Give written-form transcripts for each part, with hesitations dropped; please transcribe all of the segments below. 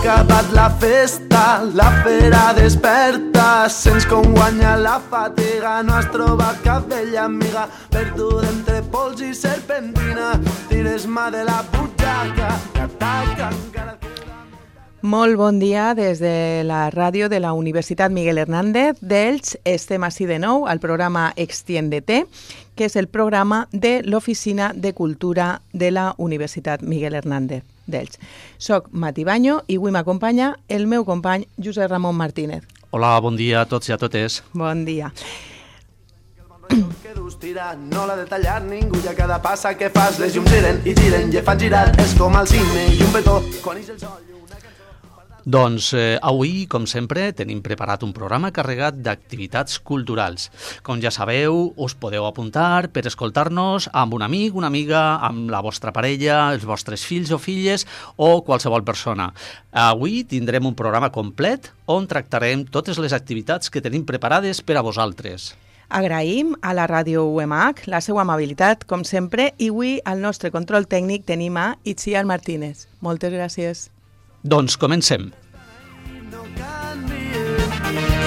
acabat la festa, la fera desperta, sents com guanya la fatiga, no has trobat cap vella amiga, perduda entre pols i serpentina, tires mà de la butxaca, que ataca encara... Molt bon dia des de la ràdio de la Universitat Miguel Hernández d'Elx. Estem així de nou al programa Extiéndete, que és el programa de l'Oficina de Cultura de la Universitat Miguel Hernández d'Elx. Soc Mati Baño i avui m'acompanya el meu company Josep Ramon Martínez. Hola, bon dia a tots i a totes. Bon dia. Que dus tira, no l'ha de tallar ningú, i a cada passa que fas les llums giren i giren i et fan girar, és com el cine i un petó quan ix el sol. Doncs avui, com sempre, tenim preparat un programa carregat d'activitats culturals. Com ja sabeu, us podeu apuntar per escoltar-nos amb un amic, una amiga, amb la vostra parella, els vostres fills o filles o qualsevol persona. Avui tindrem un programa complet on tractarem totes les activitats que tenim preparades per a vosaltres. Agraïm a la ràdio UMH la seva amabilitat, com sempre, i avui al nostre control tècnic tenim a Itziar Martínez. Moltes gràcies. Doncs comencem.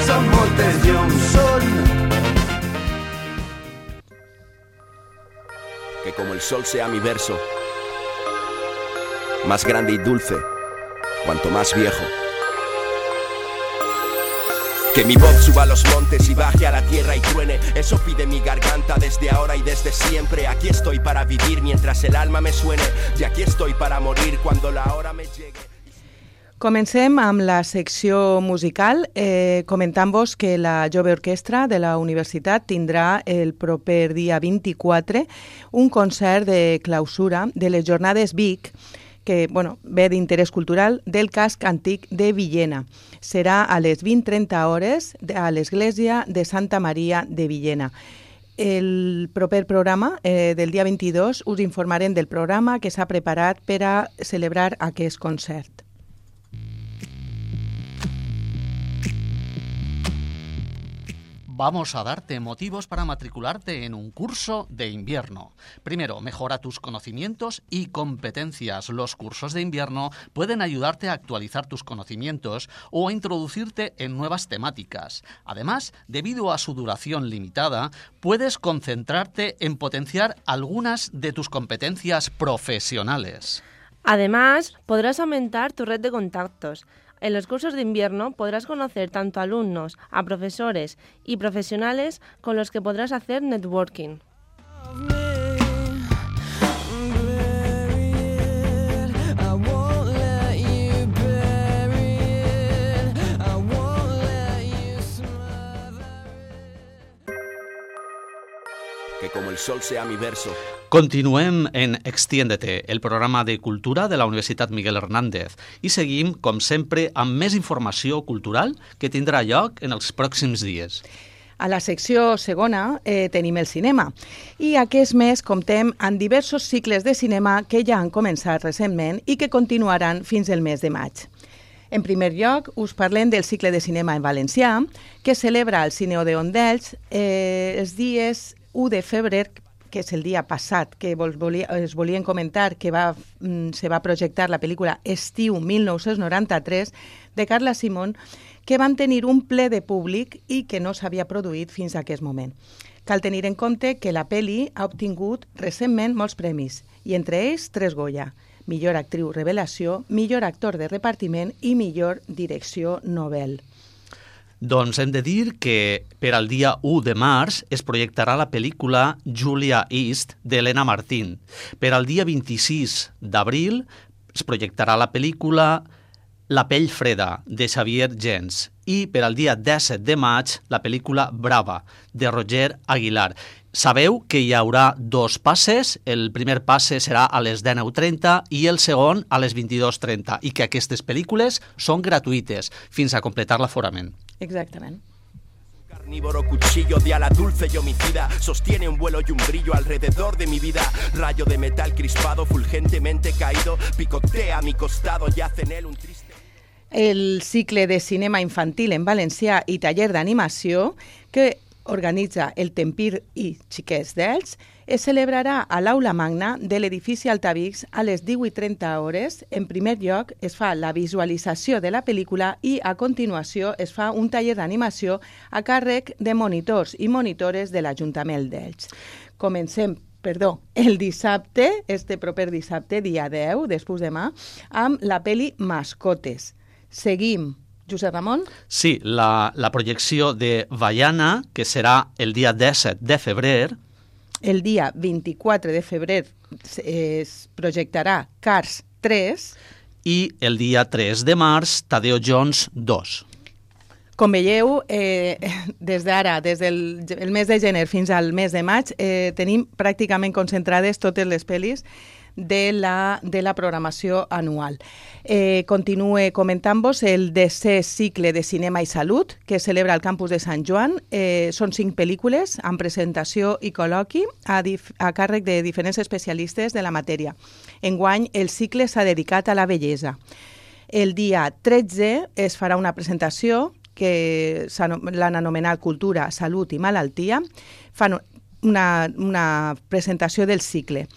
Són moltes llums, Que como el sol sea mi verso, más grande y dulce, cuanto más viejo. Que mi voz suba a los montes y baje a la tierra y truene, eso pide mi garganta desde ahora y desde siempre. Aquí estoy para vivir mientras el alma me suene, y aquí estoy para morir cuando la hora me llegue. Comencem amb la secció musical, comentant-vos que la Jove Orquestra de la Universitat tindrà el proper dia 24 un concert de clausura de les Jornades Vic, que ve d'interès cultural, del casc antic de Villena. Serà a les 20:30 hores a l'Església de Santa Maria de Villena. El proper programa del dia 22 us informarem del programa que s'ha preparat per a celebrar aquest concert. Vamos a darte motivos para matricularte en un curso de invierno. Primero, mejora tus conocimientos y competencias. Los cursos de invierno pueden ayudarte a actualizar tus conocimientos o a introducirte en nuevas temáticas. Además, debido a su duración limitada, puedes concentrarte en potenciar algunas de tus competencias profesionales. Además, podrás aumentar tu red de contactos. En los cursos de invierno podrás conocer tanto a alumnos, a profesores y profesionales con los que podrás hacer networking. Que como el sol sea mi verso. Continuem en Extiéndete, el programa de cultura de la Universitat Miguel Hernández, i seguim, com sempre, amb més informació cultural que tindrà lloc en els pròxims dies. A la secció segona tenim el cinema i aquest mes comptem amb diversos cicles de cinema que ja han començat recentment i que continuaran fins al mes de maig. En primer lloc, us parlem del cicle de cinema en valencià, que celebra al Cine Odeon d'Elx els dies 1 de febrer, que és el dia passat, que es volien comentar que se va projectar la pel·lícula Estiu 1993 de Carla Simón, que van tenir un ple de públic i que no s'havia produït fins a aquest moment. Cal tenir en compte que la pel·li ha obtingut recentment molts premis, i entre ells 3 Goya: millor actriu revelació, millor actor de repartiment i millor direcció novel. Doncs hem de dir que per al dia 1 de març es projectarà la pel·lícula Julia East d'Helena Martín. Per al dia 26 d'abril es projectarà la pel·lícula La pell freda de Xavier Gens i per al dia 17 de maig la pel·lícula Brava de Roger Aguilar. Sabeu que hi haurà 2 passes, el primer passe serà a les 19:30 i el segon a les 22:30 i que aquestes pel·lícules són gratuïtes fins a completar l'aforament. Exactament. Carnívoro cuchillo de ala dulce y homicida, sostiene un vuelo y un brillo alrededor de mi vida. Rayo de metal crispado, fulgentemente caído, picotea a mi costado, yace en él un triste... El cicle de cinema infantil en valencià i taller d'animació que organitza el Tempir i Xiquets d'Elx, es celebrarà a l'Aula Magna de l'edifici Altavix a les 18:30 hores. En primer lloc, es fa la visualització de la pel·lícula i, a continuació, es fa un taller d'animació a càrrec de monitors i monitores de l'Ajuntament d'Elx. Comencem el dissabte, proper dissabte, dia 10, després demà, amb la pel·li Mascotes. Seguim. Josep Ramon? Sí, la projecció de Vaiana, que serà el dia 17 de febrer. El dia 24 de febrer es projectarà Cars 3. I el dia 3 de març, Tadeo Jones 2. Com veieu, des d'ara, des del mes de gener fins al mes de maig, tenim pràcticament concentrades totes les pel·lis de la programació anual. Continue comentant-vos el 10è cicle de cinema i salut que es celebra al campus de Sant Joan. Són 5 pel·lícules amb presentació i col·loqui a càrrec de diferents especialistes de la matèria. Enguany, el cicle s'ha dedicat a la bellesa. El dia 13 es farà una presentació que l'han anomenat Cultura, Salut i Malaltia. Fan una presentació del cicle.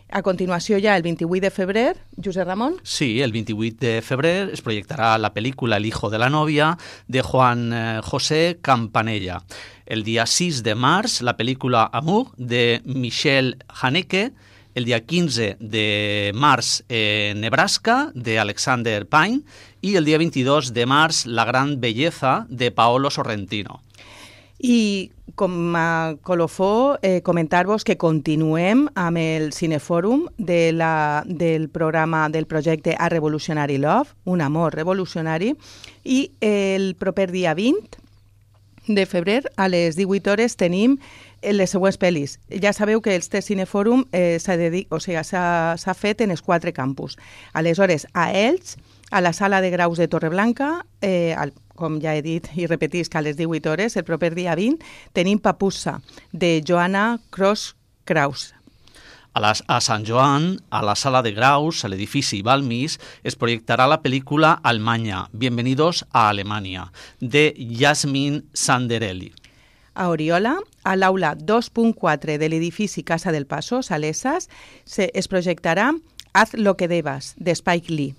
A continuació ja el 28 de febrer, Josep Ramon? Sí, el 28 de febrer es proyectará la película El hijo de la novia de Juan José Campanella. El día 6 de març, la película Amour de Michel Haneke. El día 15 de març, Nebraska de Alexander Payne. I el dia 22 de març, La gran belleza de Paolo Sorrentino. I com a colofó, comentar-vos que continuem amb el Cinefòrum del programa del projecte A Revolutionary Love, un amor revolucionari, i el proper dia 20 de febrer a les 18 hores tenim les següents pel·lis. Ja sabeu que este Cinefòrum s'ha fet en els 4 campus. Aleshores, a Elx, a la sala de graus de Torreblanca, com ja he dit i repetisc, a les 18 hores, el proper dia 20, tenim Papussa, de Joanna Cross-Kraus. A Sant Joan, a la sala de graus, a l'edifici Balmis, es proyectará la película Almaña, Bienvenidos a Alemania, de Yasmin Sanderelli. A Oriola, a l'aula 2.4 de l'edifici Casa del Paso, Salesas, es projectarà Haz lo que debas, de Spike Lee.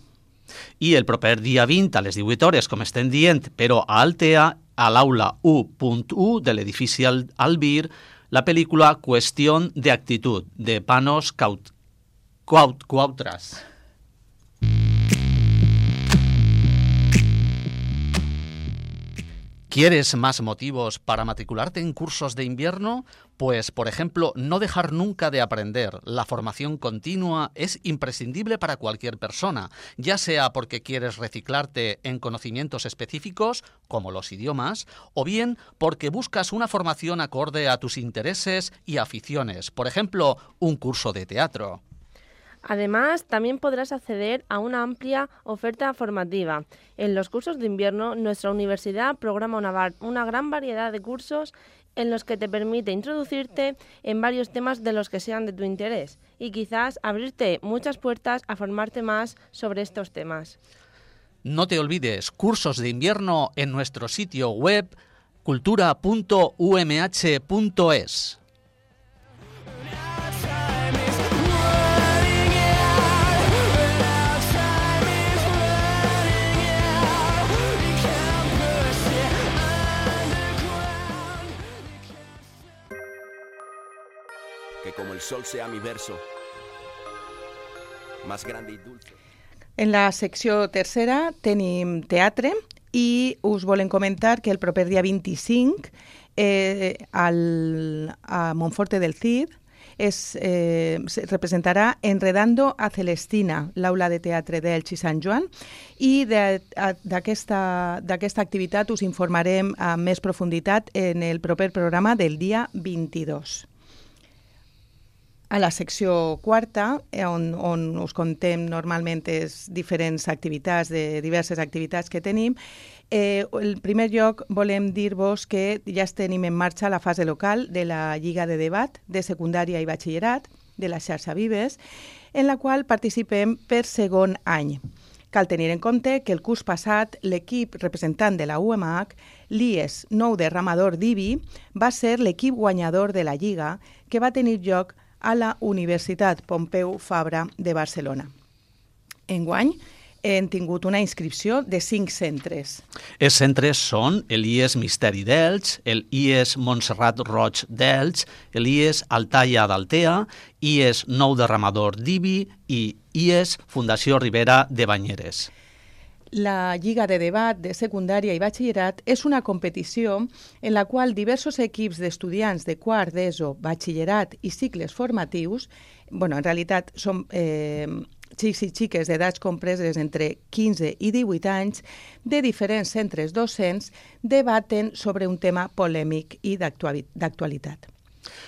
I el proper dia 20, a les 18 hores, com estem dient, però a Altea, a l'aula 1.1 de l'edifici Albir, la pel·lícula Cuestión de actitud, de Panos Cuautras. ¿Quieres más motivos para matricularte en cursos de invierno? Pues, por ejemplo, no dejar nunca de aprender. La formación continua es imprescindible para cualquier persona, ya sea porque quieres reciclarte en conocimientos específicos, como los idiomas, o bien porque buscas una formación acorde a tus intereses y aficiones. Por ejemplo, un curso de teatro. Además, también podrás acceder a una amplia oferta formativa. En los cursos de invierno, nuestra universidad programa una gran variedad de cursos en los que te permite introducirte en varios temas de los que sean de tu interés y quizás abrirte muchas puertas a formarte más sobre estos temas. No te olvides, cursos de invierno en nuestro sitio web cultura.umh.es. Que como el sol sea mi verso, más grande y dulce. En la secció tercera tenim teatre i us volem comentar que el proper dia 25 a Monforte del Cid se representarà Enredando a Celestina, l'aula de teatre d'Elx i Sant Joan, i d'aquesta activitat us informarem amb més profunditat en el proper programa del dia 22. A la secció quarta, on us contem normalment les diferents activitats, de diverses activitats que tenim, en primer lloc volem dir-vos que ja tenim en marxa la fase local de la Lliga de Debat de secundària i batxillerat de la xarxa Vives, en la qual participem per segon any. Cal tenir en compte que el curs passat l'equip representant de la UMH, l'IES Nou Derramador d'Ibi, va ser l'equip guanyador de la Lliga que va tenir lloc a la Universitat Pompeu Fabra de Barcelona. Enguany, hem tingut una inscripció de 5 centres. Els centres són l'IES Misteri d'Elx, l'IES Montserrat Roig d'Elx, l'IES Altaia d'Altea, IES Nou Derramador d'Ibi i IES Fundació Ribera de Banyeres. La Lliga de Debat de Secundària i Batxillerat és una competició en la qual diversos equips d'estudiants de quart d'ESO, batxillerat i cicles formatius, en realitat són xics i xiques d'edats compreses entre 15 i 18 anys, de diferents centres docents, debaten sobre un tema polèmic i d'actualitat.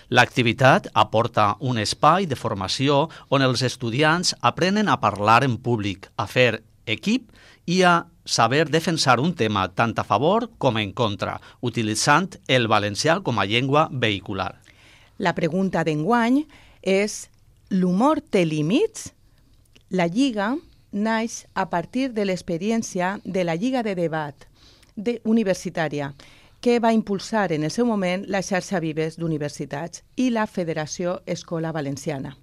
L'activitat aporta un espai de formació on els estudiants aprenen a parlar en públic, a fer equip i a saber defensar un tema tant a favor com en contra, utilitzant el valencià com a llengua vehicular. La pregunta d'enguany és: l'humor té límits? La Lliga naix a partir de l'experiència de la Lliga de Debat universitària, que va impulsar en el seu moment la xarxa Vives d'Universitats i la Federació Escola Valenciana.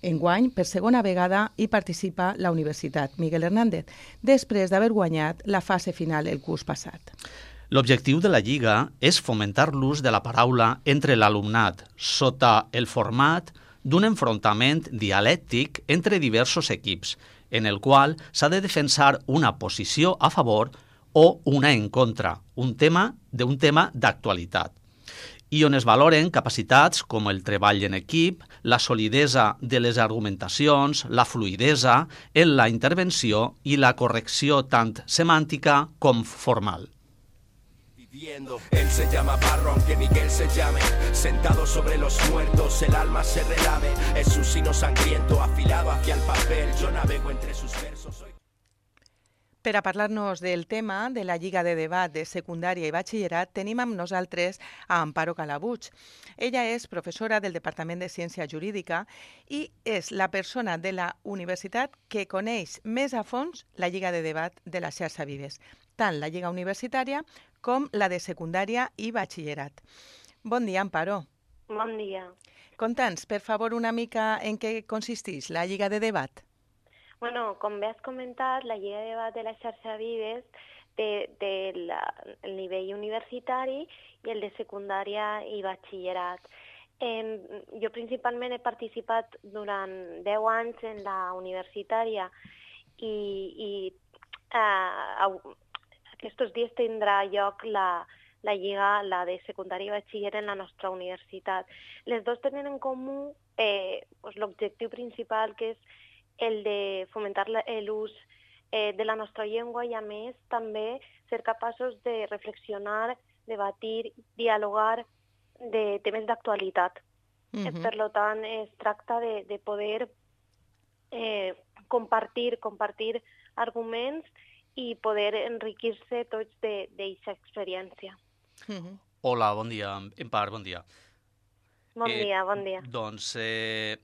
Enguany, per segona vegada, hi participa la Universitat Miguel Hernández, després d'haver guanyat la fase final el curs passat. L'objectiu de la Lliga és fomentar l'ús de la paraula entre l'alumnat, sota el format d'un enfrontament dialèctic entre diversos equips, en el qual s'ha de defensar una posició a favor o una en contra, d'un tema d'actualitat, i on es valoren capacitats com el treball en equip, la solidesa de les argumentacions, la fluidesa en la intervenció i la correcció tant semàntica com formal. Él se llama Barro, aunque Miguel se llame. Sentado sobre los muertos, el alma se relame. Es un sino sangriento, afilado hacia el papel. Yo navego entre sus versos. Per a parlar-nos del tema de la Lliga de Debat de Secundària i Batxillerat, tenim amb nosaltres a Amparo Calabuig. Ella és professora del Departament de Ciència Jurídica i és la persona de la universitat que coneix més a fons la Lliga de Debat de la xarxa Vives, tant la Lliga Universitària com la de Secundària i Batxillerat. Bon dia, Amparo. Bon dia. Conta'ns, per favor, una mica en què consisteix la Lliga de Debat. Bueno, com bé has comentat, la Lliga de Debat de la xarxa Vives té el nivell universitari i el de secundària i batxillerat. Jo principalment he participat durant 10 anys en la universitària i aquests dies tindrà lloc la Lliga, la de secundària i batxiller en la nostra universitat. Les dues tenen en comú l'objectiu principal, que és el de fomentar l'ús de la nostra llengua i, a més, també ser capaços de reflexionar, debatir, dialogar de temes d'actualitat. Per tant, es tracta de poder compartir arguments i poder enriquir-se tots d'aquesta experiència. Hola, bon dia. Empar, bon dia. Bon dia, bon dia. Doncs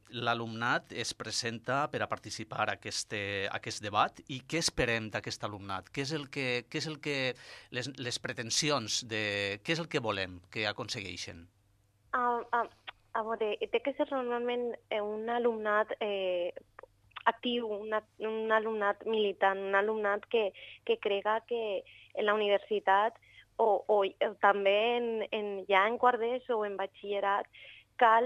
l'alumnat es presenta per a participar a aquest debat i què esperem d'aquest alumnat? Què és el que les pretensions, què és el que volem que aconsegueixen? A veure, té que ser normalment un alumnat actiu, un alumnat militant, un alumnat que crega que en la universitat o també ja en quart d'ESO o en batxillerat cal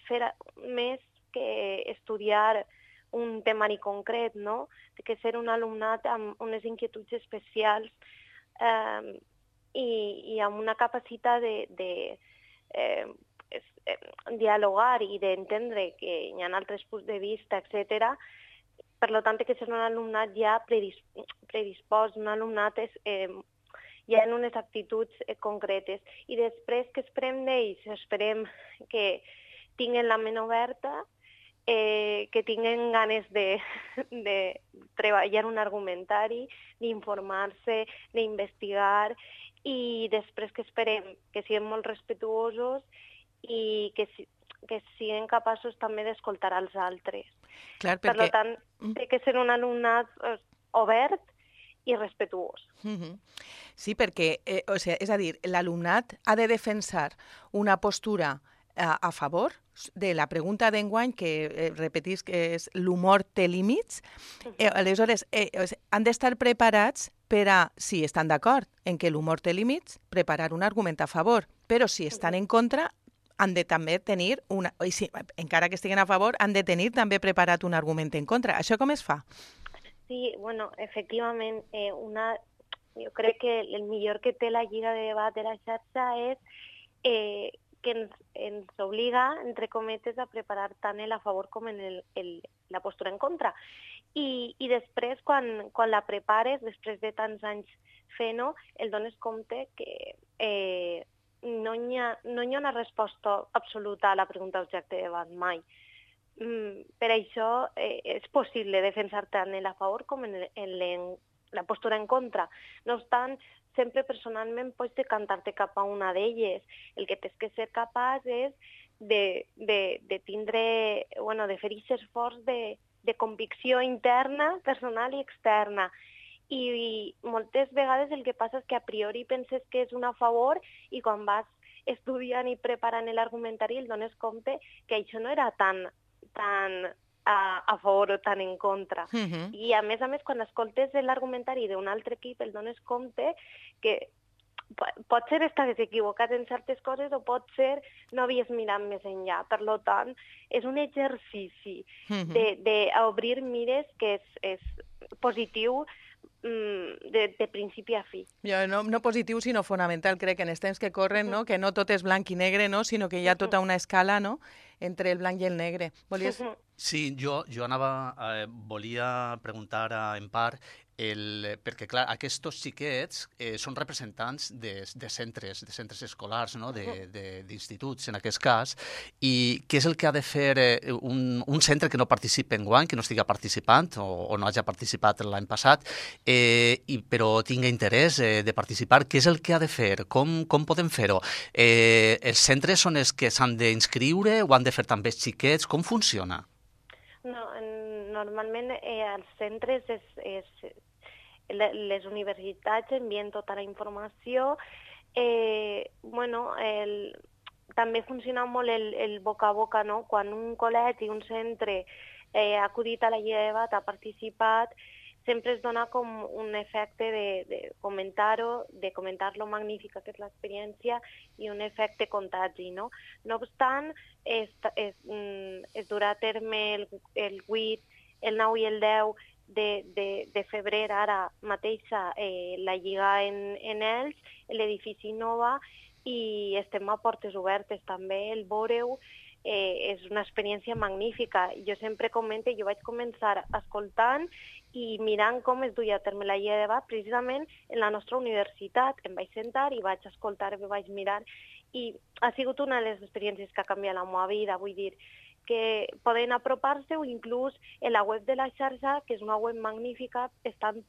fer més que estudiar un temari concret, no? Té que ser un alumnat amb unes inquietuds especials i amb una capacitat de dialogar i d'entendre que hi ha altres punts de vista, etc. Per tant, té que ser un alumnat ja predispost, un alumnat ja en unes actituds concretes. I després, què esperem d'ells? Esperem que tinguen la ment oberta, que tinguen ganes de treballar un argumentari, d'informar-se, d'investigar, i després que esperem que siguin molt respetuosos i que siguin capaços també d'escoltar als altres. Clar, Per tant, té que ser un alumnat obert i respetuós. Sí, perquè, és a dir, l'alumnat ha de defensar una postura a favor de la pregunta d'enguany, que repetís que és l'humor té límits. Aleshores, han d'estar preparats per a, si estan d'acord en que l'humor té límits, preparar un argument a favor. Però si estan en contra, han de també tenir, encara que estiguen a favor, han de tenir també preparat un argument en contra. Això com es fa? Sí, bueno, efectivament, jo crec que el millor que té la Lliga de Debat de la xarxa és que ens obliga, entre cometes, a preparar tant el a favor com la postura en contra. I després, quan la prepares, després de tants anys fent-ho, el dones compte que no hi ha una resposta absoluta a la pregunta objecte de debat mai. Per això és possible defensar tant el a favor com en la postura en contra. No obstant, sempre personalment pots decantar-te cap a una d'elles. El que tens que ser capaç és de tindre, de fer aquest esforç de convicció interna, personal i externa. I moltes vegades el que passa és que a priori penses que és un a favor i quan vas estudiant i preparant l'argumentari el dones compte que això no era tan a favor o tan en contra. I a més, quan escoltes l'argumentari d'un altre equip el dones compte que potser estaves equivocat en certes coses o potser no havies mirat més enllà. Per tant, és un exercici d'obrir mires que és positiu de principi a fi. No positiu, sinó fonamental, crec, en els temps que corren, no? Que no tot és blanc i negre, no? Sinó que hi ha tota una escala, no?, entre el blanc i el negre. Volies... Sí, jo volia preguntar en part, perquè, clar, aquests xiquets són representants de centres escolars, no? D'instituts, en aquest cas, i què és el que ha de fer un centre que no participi enguany, que no estigui participant o no hagi participat l'any passat, però tingui interès de participar? Què és el que ha de fer? Com podem fer-ho? Els centres són els que s'han d'inscriure o han de fer també els xiquets? Com funciona? No, normalment als centres les universitats envien tota la informació. També funciona molt el boca a boca, no? Quan un col·legi, un centre ha acudit a la Lliga de Debat, ha participat, sempre es dona com un efecte de comentar-ho, de comentar lo magnífica que és l'experiència i un efecte contagi, no? No obstant, es durà a terme el 8, el 9 i el 10 de febrer, ara mateixa, la Lliga en Elx, l'edifici Nova, i estem a portes obertes també, el veureu. És una experiència magnífica. Jo sempre comento, jo vaig començar escoltant i mirant com es duia a terme la Lliga de Debat precisament en la nostra universitat. Em vaig sentar i vaig escoltar, em vaig mirar, i ha sigut una de les experiències que ha canviat la meva vida. Vull dir que poden apropar-se, o inclús en la web de la xarxa, que és una web magnífica, estan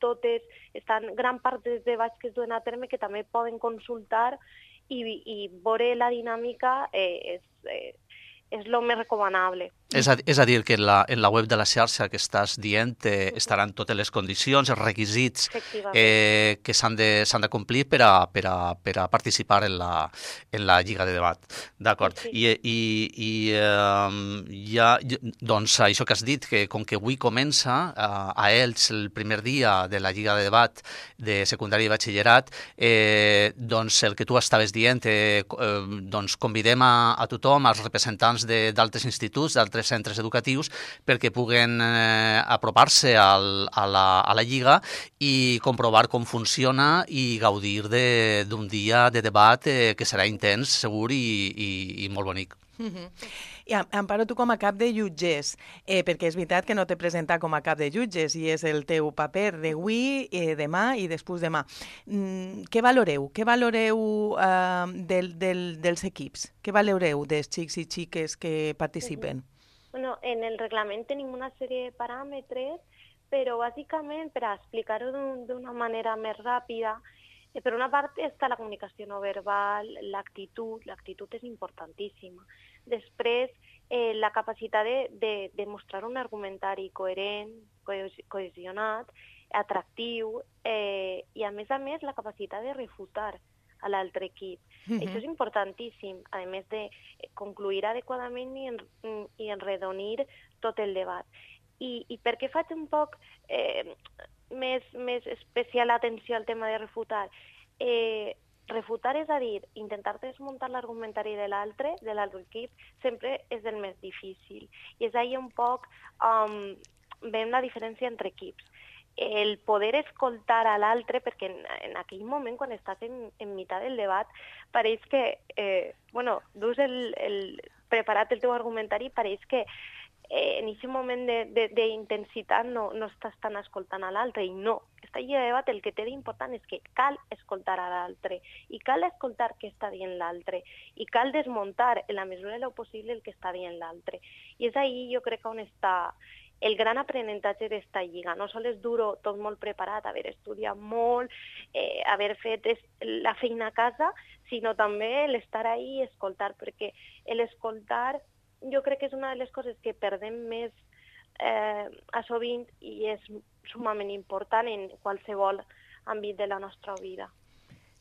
gran part dels debats que es duen a terme que també poden consultar i veure la dinàmica. És el més recomanable. És a dir, que en la web de la xarxa que estàs dient estaran totes les condicions, els requisits que s'han de complir per a participar en la Lliga de Debat. D'acord. Sí. I doncs això que has dit, que com que avui comença a Elx el primer dia de la Lliga de Debat de secundària i batxillerat, doncs el que tu estaves dient, doncs convidem a tothom, als representants d'altres instituts, d'altres centres educatius, perquè puguen apropar-se a la Lliga i comprovar com funciona i gaudir d'un dia de debat que serà intens, segur i molt bonic. I Amparo, tu com a cap de jutges, perquè és veritat que no t'he presentat com a cap de jutges i és el teu paper d'avui, demà i després demà. Què valoreu? Què valoreu dels equips? Què valoreu dels xics i xiques que participen? Bueno, en el reglament tenim una sèrie de paràmetres, però bàsicament, per a explicar-ho d'una manera més ràpida, per una part està la comunicació no verbal, l'actitud és importantíssima. Després, la capacitat de mostrar un argumentari coherent, cohesionat, atractiu i, a més, la capacitat de refutar a l'altre equip. Això és importantíssim, a més de concluir adequadament i enredonir tot el debat. I per què faig un poc més especial atenció al tema de refutar? Refutar, és a dir, intentar desmuntar l'argumentari de l'altre equip, sempre és el més difícil. I és ahí un poc veiem la diferència entre equips. El poder escoltar a l'altre, perquè en aquell moment, quan estàs en meitat del debat, pareix que, dus preparat el teu argumentari, pareix que en aquest moment d'intensitat no estàs tan escoltant a l'altre, i no. Aquesta lliga de debat el que té d'important és que cal escoltar a l'altre, i cal escoltar què està dient l'altre, i cal desmuntar en la mesura de lo possible el que està dient l'altre. I és ahí, jo crec, on està el gran aprenentatge d'esta lliga. No sols dur-ho tot molt preparat, haver estudiat molt, haver fet la feina a casa, sinó també l'estar ahí i escoltar, perquè l'escoltar jo crec que és una de les coses que perdem més a sovint i és sumament important en qualsevol àmbit de la nostra vida.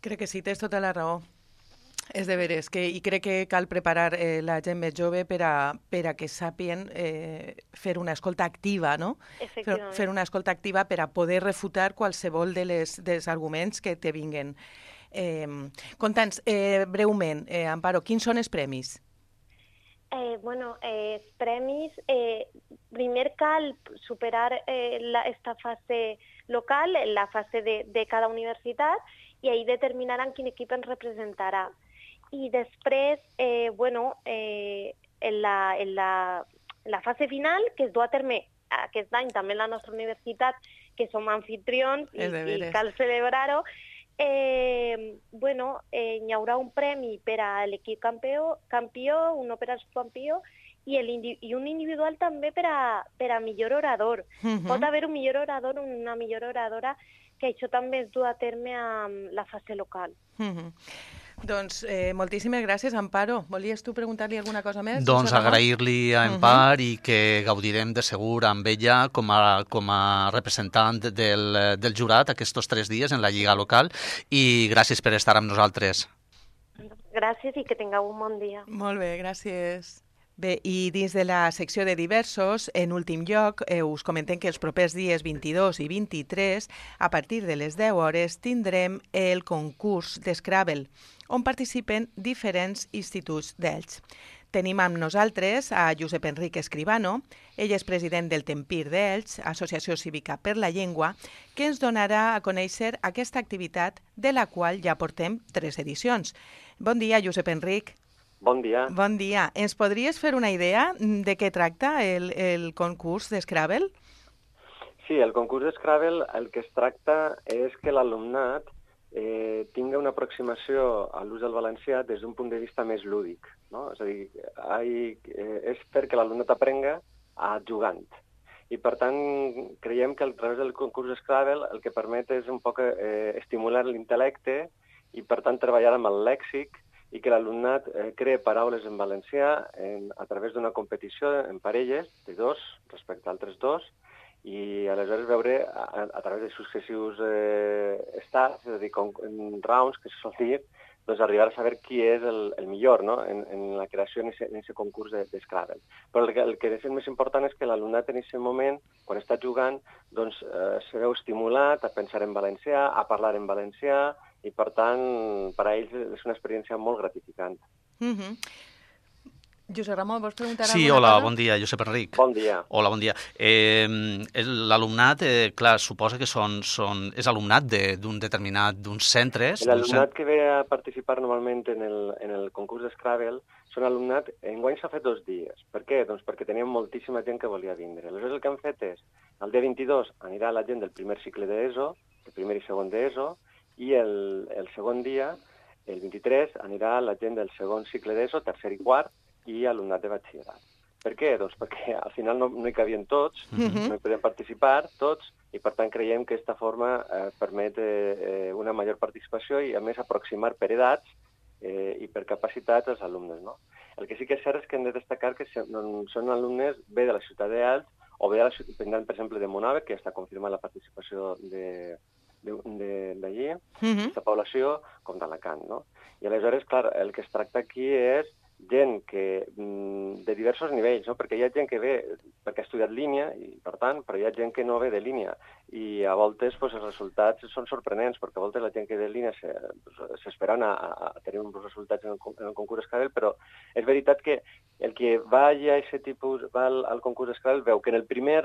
Crec que sí, tens tota la raó. És de veres, i crec que cal preparar la gent més jove per a que sàpien fer una escolta activa, no? Efectivament. Fer una escolta activa per a poder refutar qualsevol dels arguments que te vinguen. Conta'ns breument, Amparo, quins són els premis? Els premis, primer cal superar esta fase local, la fase de cada universitat, i ahí determinaran quin equip ens representarà. I després, en la fase final, que es du a terme aquest any també en la nostra universitat, que som anfitrions i cal celebrar-ho, hi haurà un premi per a l'equip campió, un per al subcampió, i un individual també per a millor orador. Pot haver un millor orador o una millor oradora, que això també es du a terme amb la fase local. Doncs moltíssimes gràcies, Amparo. Volies tu preguntar-li alguna cosa més? Doncs agrair-li a Empar i que gaudirem de segur amb ella com a representant del jurat aquests 3 dies en la Lliga local, i gràcies per estar amb nosaltres. Gràcies i que tingueu un bon dia. Molt bé, gràcies. Bé, i dins de la secció de diversos, en últim lloc, us comentem que els propers dies 22 i 23, a partir de les 10 hores, tindrem el concurs d'Scrabble, on participen diferents instituts d'Elx. Tenim amb nosaltres a Josep Enric Escribano, ell és president del Tempir d'Elx, Associació Cívica per la Llengua, que ens donarà a conèixer aquesta activitat de la qual ja portem 3 edicions. Bon dia, Josep Enric. Bon dia. Bon dia. Ens podries fer una idea de què tracta el concurs d'Scrabble? Sí, el concurs d'Scrabble el que es tracta és que l'alumnat tingui una aproximació a l'ús del valencià des d'un punt de vista més lúdic, no? És a dir, és perquè l'alumnat aprenga jugant. I, per tant, creiem que a través del concurs d'Scrabble el que permet és un poc estimular l'intel·lecte i, per tant, treballar amb el lèxic i que l'alumnat crea paraules en valencià a través d'una competició en parelles de 2 respecte a altres 2, i aleshores veure a través de successius estats, és a dir, rounds, que se sol dir, doncs arribar a saber qui és el millor, no?, en la creació en aquest concurs d'Scrabble. Però el que és més important és que l'alumnat en aquest moment, quan està jugant, doncs se veu estimulat a pensar en valencià, a parlar en valencià, i per tant, per a ells és una experiència molt gratificant. Josep Ramon, vols preguntar alguna cosa? Sí, hola, bon dia, Josep Enric. Bon dia. Hola, bon dia. L'alumnat, clar, suposa que és alumnat d'uns centres. L'alumnat que ve a participar normalment en el concurs d'Scrabble són alumnat, enguany s'ha fet 2 dies. Per què? Doncs perquè teníem moltíssima gent que volia vindre. Aleshores el que han fet és, el dia 22 anirà la gent del primer cicle d'ESO, el primer i segon d'ESO, i el segon dia, el 23, anirà la gent del segon cicle d'ESO, tercer i quart, i alumnat de batxillerat. Per què? Doncs perquè al final no hi cabien tots, no hi podem participar tots, i per tant creiem que aquesta forma permet una major participació i a més aproximar per edats i per capacitats als alumnes, no? El que sí que és cert és que hem de destacar que són alumnes bé de la ciutat d'Elx o bé a la ciutat, per exemple, de Monave, que ja està confirmant la participació d'allí, aquesta població, com d'Alacant, no? I aleshores, clar, el que es tracta aquí és gent que, de diversos nivells, no? Perquè hi ha gent que ve perquè ha estudiat línia, i per tant, però hi ha gent que no ve de línia, i a voltes els resultats són sorprenents, perquè a voltes la gent que ve de línia s'esperen a tenir uns resultats en el concurs Scrabble, però és veritat que el que va a aquest tipus, va al concurs Scrabble, veu que en el primer,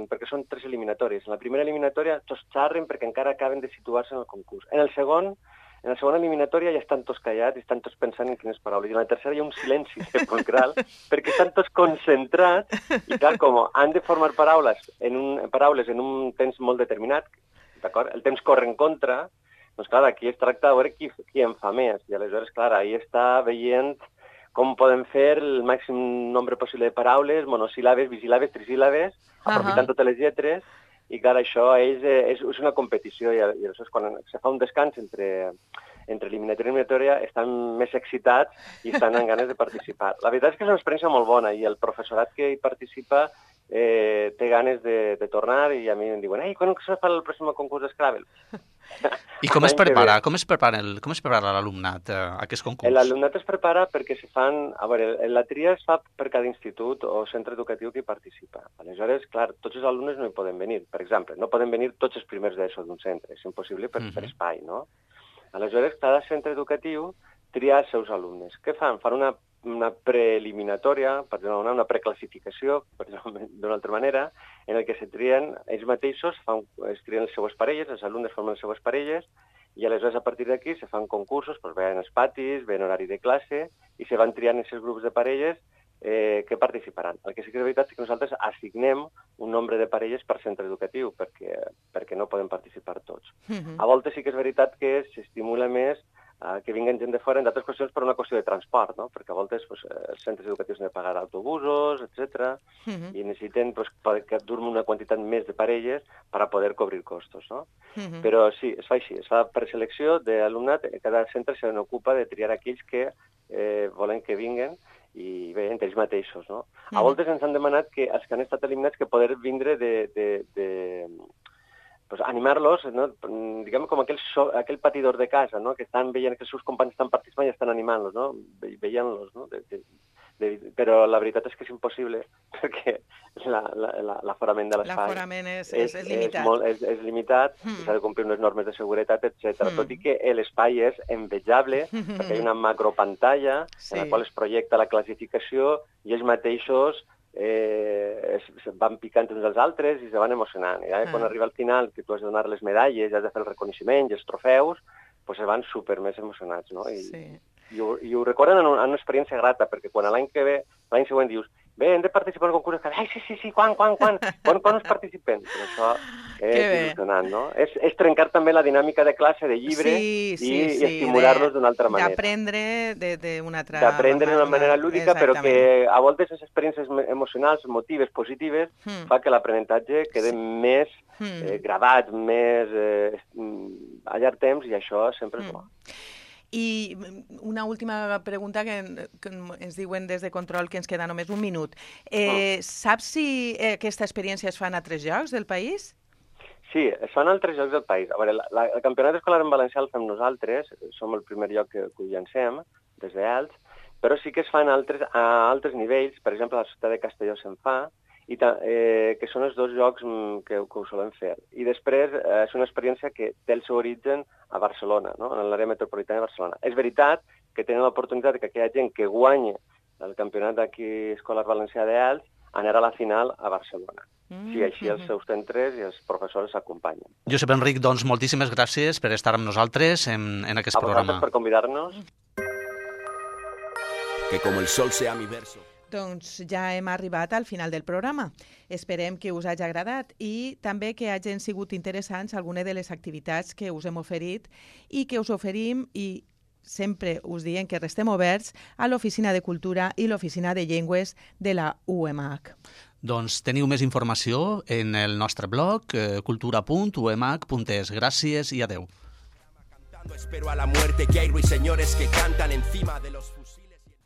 perquè són 3 eliminatòries, en la primera eliminatòria tots xarren perquè encara acaben de situar-se en el concurs. En la segona eliminatòria ja estan tots callats i estan tots pensant en quines paraules. I en la tercera hi ha un silenci sepulcral perquè estan tots concentrats i, clar, com han de formar paraules en un temps molt determinat, d'acord? El temps corre en contra, doncs, clar, aquí es tracta de veure qui en fa més. I aleshores, clar, ahí està veient com podem fer el màxim nombre possible de paraules, monosíl·labes, bisíl·labes, trisíl·labes, aprofitant totes les lletres. I, clar, això és una competició i aleshores quan se fa un descans entre eliminatòria estan més excitats i estan amb ganes de participar. La veritat és que és una experiència molt bona i el professorat que hi participa té ganes de tornar i a mi em diuen quan se fa el pròxim concurs Scrabble? I com es prepara l'alumnat a aquest concurs? L'alumnat es prepara perquè se fan... A veure, la tria es fa per cada institut o centre educatiu que hi participa. Aleshores, clar, tots els alumnes no hi poden venir. Per exemple, no poden venir tots els primers d'ESO d'un centre. És impossible per espai, no? Aleshores, cada centre educatiu tria els seus alumnes. Què fan? Fan una preeliminatòria, per dir una preclassificació, per dir d'una altra manera, en el que se trien ells mateixos, es trien les seues parelles, els alumnes formen les seues parelles, i aleshores a partir d'aquí se fan concursos, doncs veien els patis, veien horari de classe, i se van triant aquests grups de parelles que participaran. El que sí que és veritat és que nosaltres assignem un nombre de parelles per centre educatiu, perquè no poden participar tots. A voltes sí que és veritat que s'estimula més que vinguen gent de fora, en d'altres qüestions per una qüestió de transport, no? Perquè a voltes els centres educatius han de pagar autobusos, etc. I necessiten que durmi una quantitat més de parelles per a poder cobrir costos, no? Però sí, es fa així, es fa per selecció d'alumnat, cada centre se n'ocupa de triar aquells que volen que vinguen i bé, entre ells mateixos, no? A voltes ens han demanat que els que han estat eliminats que poder vindre animar-los, no? Diguem com aquell patidor de casa, no? Que estan veient que els seus companys estan participant i estan animant-los, no? Veient-los, no? Però la veritat és que és impossible perquè l'aforament de l'espai... L'aforament és limitat. És limitat, s'ha de complir unes normes de seguretat, etc. Tot i que l'espai és envejable perquè hi ha una macropantalla en la qual es projecta la classificació i ells mateixos van picant uns als altres i se van emocionant. I quan arriba al final, que tu has de donar les medalles, has de fer el reconeixement i els trofeus, doncs se van super més emocionats, no? I ho recorden en una experiència grata, perquè quan l'any següent dius bé, hem de participar en el concurs, ai, sí, quan us participem? Però això és il·lusionant, no? És trencar també la dinàmica de classe, de llibre, i estimular-los d'una altra manera. D'aprendre d'una altra... D'aprendre d'una manera lúdica, però que a voltes les experiències emocionals, emotives, positives, fa que l'aprenentatge quede més gravat, més a llarg temps, i això sempre és bo. I una última pregunta que ens diuen des de control, que ens queda només un minut. Saps si aquesta experiència es fa en altres llocs del país? Sí, es fa en altres llocs del país. A veure, el campionat escolar en valencià el fem nosaltres, som el primer lloc que ho llancem, des d'Elx, però sí que es fa a altres nivells, per exemple, a la ciutat de Castelló se'n fa, i que són els dos llocs que ho solem fer. I després és una experiència que té el seu origen a Barcelona, no? En l'àrea metropolitana de Barcelona. És veritat que tenen l'oportunitat que aquella gent que guanya el campionat d'aquí escolar valencià d'Elx anar a la final a Barcelona. Sí, així els seus centres i els professors s'acompanyen. Josep Enric, doncs moltíssimes gràcies per estar amb nosaltres en aquest programa. A vosaltres per convidar-nos. Que com el sol sea mi verso. Doncs ja hem arribat al final del programa. Esperem que us hagi agradat i també que hagin sigut interessants algunes de les activitats que us hem oferit i que us oferim, i sempre us diem que restem oberts, a l'Oficina de Cultura i l'Oficina de Llengües de la UMH. Doncs teniu més informació en el nostre blog cultura.umh.es. Gràcies i adeu. Espero a la muerte, que hay ruiseñores que cantan encima de los